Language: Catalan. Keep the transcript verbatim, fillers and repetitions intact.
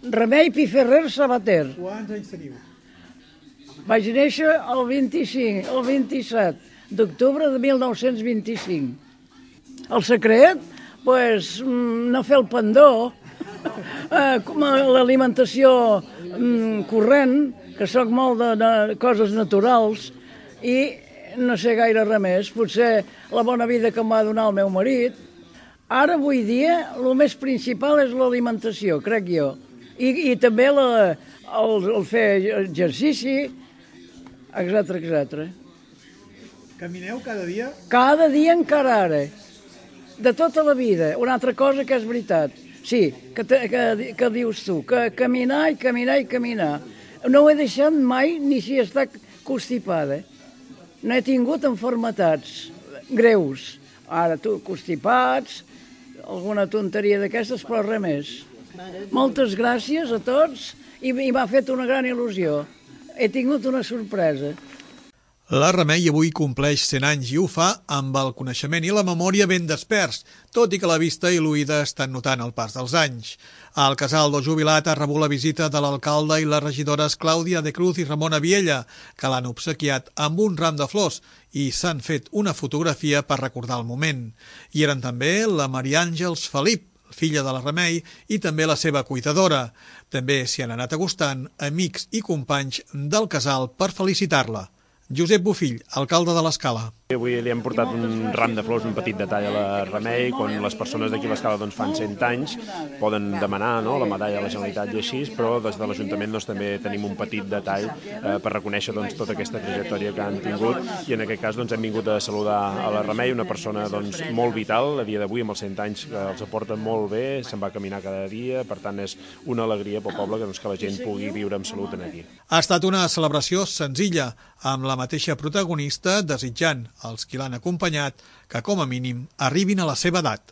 Remei Piferrer Sabater. Quants anys teniu? Vaig néixer el vint-i-cinc, el vint-i-set d'octubre de mil nou-cents vint-i-cinc. El secret? Doncs no fer el pendó, l'alimentació corrent, que soc molt de coses naturals, i no sé gaire res més. Potser la bona vida que em va donar el meu marit. Ara, avui dia, el més principal és l'alimentació, crec jo. I, i també la, el, el fer exercici, etcètera, etcètera. Camineu cada dia? Cada dia encara ara. De tota la vida. Una altra cosa que és veritat. Sí, que, te, que, que dius tu, que caminar i caminar i caminar. No ho he deixat mai ni si està constipada. No he tingut malalties greus. Ara, tu, constipats, alguna tonteria d'aquestes, però res més. Moltes gràcies a tots i m'ha fet una gran il·lusió. He tingut una sorpresa. La Remei avui compleix cent anys i ho fa amb el coneixement i la memòria ben desperts, tot i que la vista i l'oïda estan notant el pas dels anys. El casal del jubilat ha rebut la visita de l'alcalde i les regidores Clàudia de Cruz i Ramona Viella, que l'han obsequiat amb un ram de flors i s'han fet una fotografia per recordar el moment. Hi eren també la Maria Àngels Felip, filla de la Remei, i també la seva cuidadora. També s'hi han anat acostant amics i companys del casal per felicitar-la. Josep Bofill, alcalde de l'Escala. Avui li hem portat un ram de flors, un petit detall a la Remei, quan les persones d'aquí a l'Escala doncs, fan cent anys, poden demanar no, la medalla a la Generalitat i així, però des de l'Ajuntament doncs, també tenim un petit detall eh, per reconèixer doncs, tota aquesta trajectòria que han tingut, i en aquest cas doncs, hem vingut a saludar a la Remei, una persona doncs, molt vital, a dia d'avui amb els cent anys que els aporta molt bé, se'n va caminar cada dia, per tant és una alegria pel poble que, doncs, que la gent pugui viure amb salut aquí. Ha estat una celebració senzilla, amb la mateixa protagonista desitjant als qui l'han acompanyat que com a mínim arribin a la seva edat.